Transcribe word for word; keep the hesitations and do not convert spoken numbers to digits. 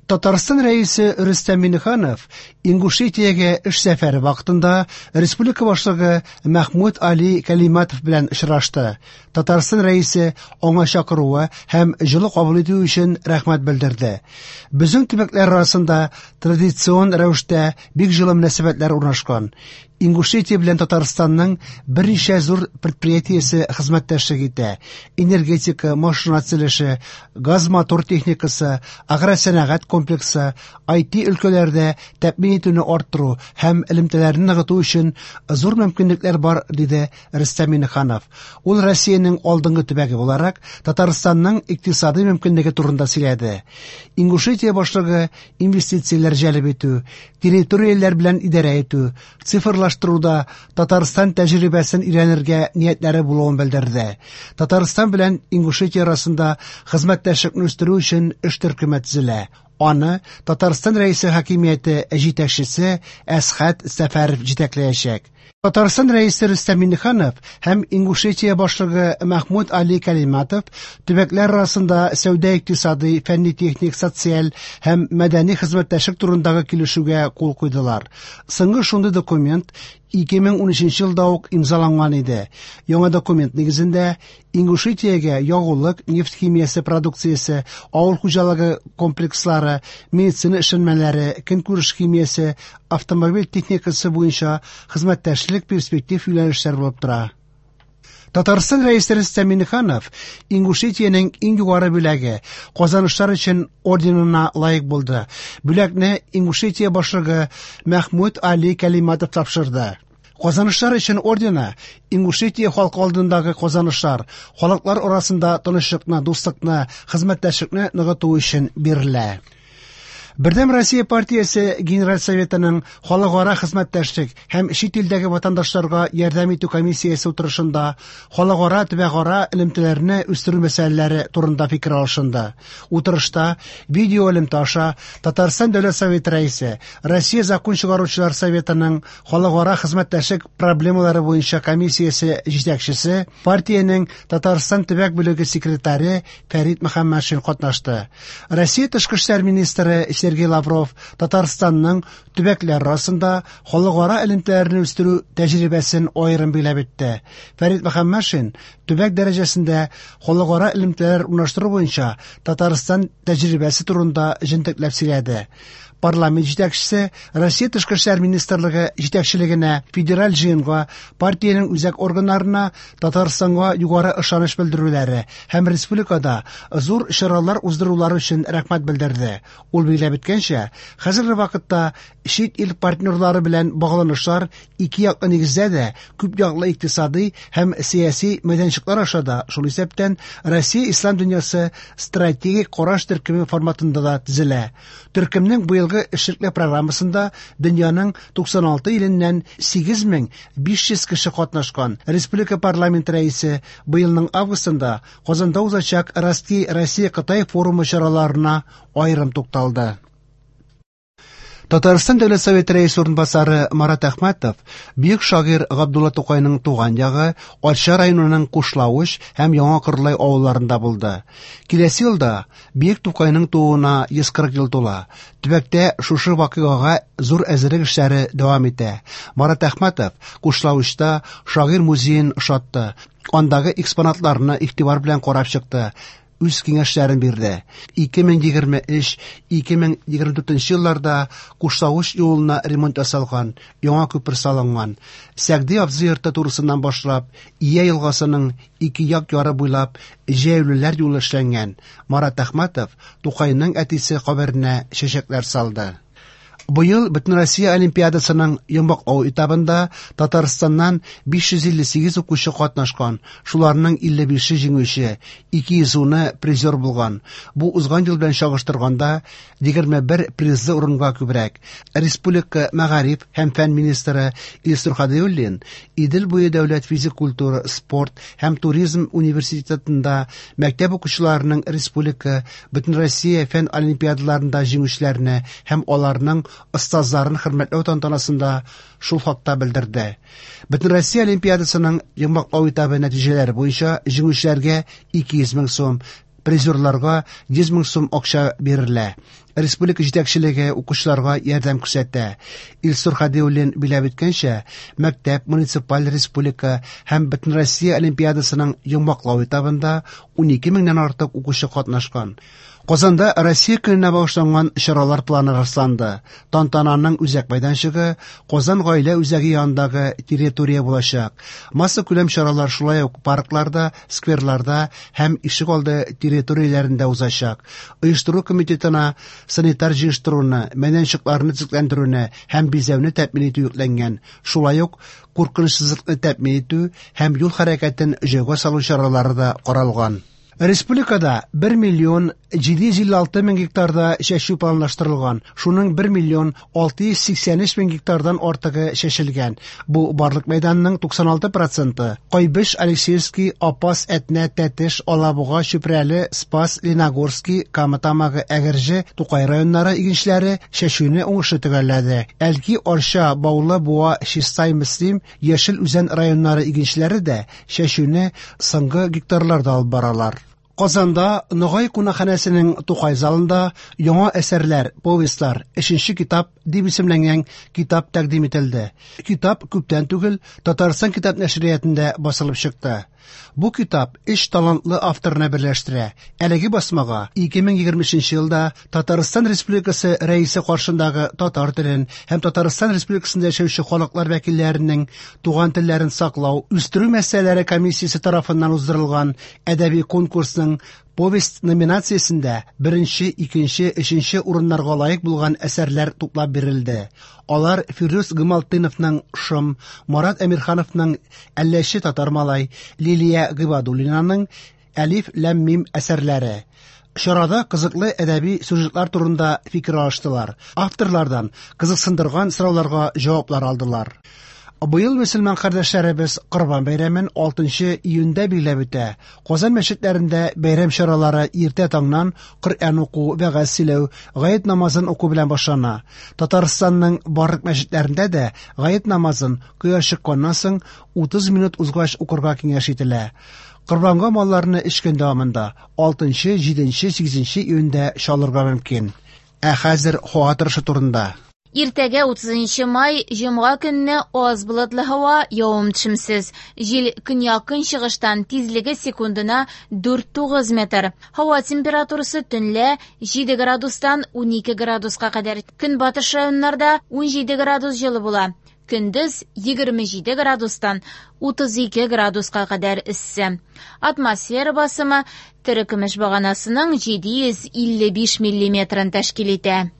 Татарстан Рәисе Рөстәм Миңнеханов Ингушетиягә эш сәфәре вакытында республика башлыгы Мәхмүд Али Кәлиматов белән очрашты. Татарстан Рәисе аңа чакыруы һәм җылы кабул итү өчен рәхмәт белдерде. Безнең төбәкләр арасында традицион рәвештә бик җылы мөнәсәбәтләр урнашкан. Ингушетия белән Татарстанның берничә зур предприятиесе хезмәттәшлек итә. Энергетика, машина төзелеше, газ-мотор техникасы, агросәнәгать комплексы, ай ти өлкәләрдә тәэмин итүне арттыру һәм элемтәләрне ныгыту өчен зур мөмкинлекләр бар, диде Рөстәм Миңнеханов. Ул Россиянең алдынгы төбәге буларак Татарстанның икътисади мөмкинлеге турында сөйләде. Ингушетия башлыгы инвестицияләр җәлеп итү, территорияләр белән идарә итү, цифрлаштыруда Татарстан тәҗрибәсен өйрәнергә ниятләре булуын белдерде. Татарстан белән Ингушетия арасында хезмәттәшлекне үстерү өчен эш төркеме төзелә. Аны Татарстан Рәисе хакимияте җитәкчесе Әсхәт Сәфәров җитәкләячәк. Татарстан Рәисе Рөстәм Миңнеханов һәм Ингушетия башлыгы Мәхмүд Али Кәлиматов төбәкләр арасында сәүдә-икътисади, фәнни-техник, социаль һәм мәдәни хезмәттәшлек турындагы килешүгә кул куйдылар. Соңгы шундый документ ике мең унөченче елда ук имзаланган иде. Яңа документ нигезендә Ингушетиягә ягулык, нефть химиясе продукциясе, авыл хуҗалыгы комплекслары, медицина эшләнмәләре, көнкүреш химиясе, автомобиль техникасы буенча хезмәттәшлек перспектив юнәлешләр булып тора. Татарстан Рәисе Рөстәм Миңнеханов Ингушетиянең иң югары бүләге Казанышлар өчен орденына лаек булды. Бүләкне Ингушетия башлыгы Мәхмүд Али Кәлиматов тапшырды. Казанышлар өчен ордены Ингушетия халкы алдындагы казанышлар, халыклар арасында тынычлыкны, дуслыкны, хезмәттәшлекне ныгыту өчен бирелә. Бердәм Россия партиясе Генераль Советының халыкара хезмәттәшлек һәм чит илдәге ватандашларга ярдәм итү комиссиясе утырышында халыкара төбәкара элемтәләрне үстерү мәсьәләләре турында фикер алышынды. Утырышта видео элемтә аша Татарстан Дәүләт Советы рәисе, Россия Закон чыгаручылар Советының халыкара хезмәттәшлек проблемалары буенча комиссиясе җитәкчесе, партиянең Татарстан төбәк бүлеге секретаре Фәрит Мөхәммәтшин катнашты. Россия тышкы эшләр министры Сергей Лавров Татарстанның төбәкләр арасында халыкара элемтәләрне үстерү тәҗрибәсен аерым билгеләп үтте. Фәрит Мөхәммәтшин төбәк дәрәҗәсендә халыкара элемтәләр урнаштыру буенча Татарстан тәҗрибәсе турында җентекләп сөйләде. Парламент җитәкчесе Россия Тышкы эшләр министрлыгы җитәкчелегенә, федераль җыенга, партиянең үзәк органнарына Татарстанга югары ышаныч белдерүләре һәм республикада зур чаралар уздырулары өчен рәхмәт белдерде. Ул билгеләп үткәнчә, хәзерге вакытта чит ил партнерлары белән багланышлар ике яклы нигездә дә күп яклы икътисади һәм сәяси мәйданчыклар аша да, шул исәптән Россия Ислам дөньясы стратегик караш төркеме форматында да төзелә. Төркемнең быелгы эшлекле программасында дөньяның туксан алты иленнән сигез мең биш йөз кеше катнашкан. Республика парламент рәисе быелның августында Казанда узачак Россия Кытай форумы чараларына аерым тукталды. Татарстан Дәүләт Советы рәисе урынбасары Марат Әхмәтов бөек шагыйрь Габдулла Тукайның туган ягы Арча районының Кушлавыч һәм Яңа Кырлай авылларында булды. Киләсе елда бөек Тукайның тууына йөз кырык ел тула. Төбәктә шушы вакыйгага зур әзерлек эшләре дәвам итә. Марат Әхмәтов Кушлавычта шагыйрь музеен ошатты. Андагы экспонатларны игътибар белән карап чыкты. Үз киңәшләрен бирде. Ике мең егерме өч, ике мең егерме дүртенче елларда Кушлавыч юлына ремонт ясалган, яңа күпер салынган. Сәгъди абзый йорты турысыннан башлап, Ия елгасының ике як яры буйлап җәяүлеләр юлы эшләнгән. Марат Әхмәтов Тукайның әтисе каберенә чәчәкләр салды. Быел Бөтенроссия Олимпиадасының йомгаклау этабында Татарстаннан биш йөз илле сигез укучы катнашкан, шуларның илле бише җиңүче, ике йөз уны призер булган. Бу узган ел белән чагыштырганда егерме бер призлы урынга күбрәк. Республика мәгариф һәм фән министры Илсур Һадиуллин Идел буе дәүләт физик культура, спорт һәм туризм университетында мәктәп укучыларының республика Бөтенроссия фән олимпиадаларында җиңүчеләрне һәм аларның остазларын хөрмәтләү тантанасында шул хакта белдерде. Бөтенроссия Олимпиадасының йомгаклау этабы нәтиҗәләре буенча җиңүчеләргә ике йөз мең сум, Призерларга йөз мең сум акча бирелә. Республика җитәкчелеге укучыларга ярдәм күрсәтә. Илсур Хадиуллин билгеләп үткәнчә, мәктәп, муниципаль, республика һәм Бөтенроссия олимпиадасының йомгаклау этабында унике меңнән артык укучы катнашкан. Казанда Россия көненә багышланган чаралар планы расланды. Тантананың үзәк мәйданчыгы Казан гаилә үзәге янындагы территория булачак. Массакүләм чаралар шулай ук паркларда, скверларда һәм ишегалды территорияләрендә узачак. Оештыру комитетына санитар җыештыруны, мәйданчыкларны төзекләндерүне һәм бизәүне тәэмин итү йөкләнгән. Шулай ук куркынычсызлыкны тәэмин итү һәм юл хәрәкәтен җайга салу чаралары да каралган. Республикада бер миллион җиде йөз илле алты мең гектарда чәчү планлаштырылган. Шуның бер миллион алты йөз сиксән өч мең гектардан артыгы чәчелгән. Бу барлык мәйданның туксан алты проценты. Кайбыч, Алексеевский, Апас, Әтнә, Тәтеш, Алабуга, Чүпрәле, Спас, Леногорский, Кама Тамагы, Әгерҗе, Тукай районнары игенчеләре чәчүне уңышлы төгәлләде. Әлки, Арча, Баулы, Буа, Чистай, Мөслим, Яшел Үзән районнары игенчеләре дә чәчүне соңгы гектарларда алып баралар. Казанда Ногай кунакханәсенең Тукай залында яңа әсәрләр, повестьлар, өченче китап дип исемләнгән китап тәкъдим ителде. Китап күптән түгел Татарстан китап нәшриятында басылып чыкты. Бу китап өч талантлы авторны берләштерә. Әлеге басмага ике мең егерме өченче елда Татарстан Республикасы Рәисе каршындагы татар телен һәм Татарстан Республикасында яшәүче халыклар вәкилләренең туган телләрен саклау, үстерү мәсьәләләре комиссиясе тарафыннан уздырылган әдәби конкурсның повесть номинациясендә беренче, икенче, өченче урыннарга лаек булган әсәрләр туплап бирелде. Алар Фирдүс Гыймалтдиновның Шом, Марат Әмирхановның Әлләче татар малай, Лилия Гыйбадуллинаның Әлиф ләм мим әсәрләре. Чарада кызыклы әдәби сюжетлар турында фикер алыштылар. Авторлардан кызыксындырган сорауларга җаваплар алдылар. Быел мөселман кардәшләребез Корбан бәйрәмен алтынчы июньдә билгеләп үтә. Казан мәчетләрендә бәйрәм чаралары иртә таңнан Коръән уку, вәгазь сөйләү, гает намазын уку белән башлана. Татарстанның барлык мәчетләрендә дә гает намазын кояш чыкканнан соң утыз минут узгач укырга киңәш ителә. Корбанга малларны өч көн дәвамында алтынчы, җиденче, сигезенче июньдә чалырга мөмкин. Ә хәзер һава торышы турында. Иртәгә утызынчы май, җомга көнне аз болытлы һава, явым-төшемсез. Җил көньяк-көнчыгыштан, тизлеге секундына дүрт тугыз метр. Һава температурасы төнлә җиде градустан унике градуска кадәр. Көнбатыш районнарда унҗиде градус җылы була. Көндез егерме җиде градустан утыз ике градуска кадәр эссе. Атмосфера басымы терекөмеш баганасының җиде йөз илле биш миллиметрын тәшкил итә.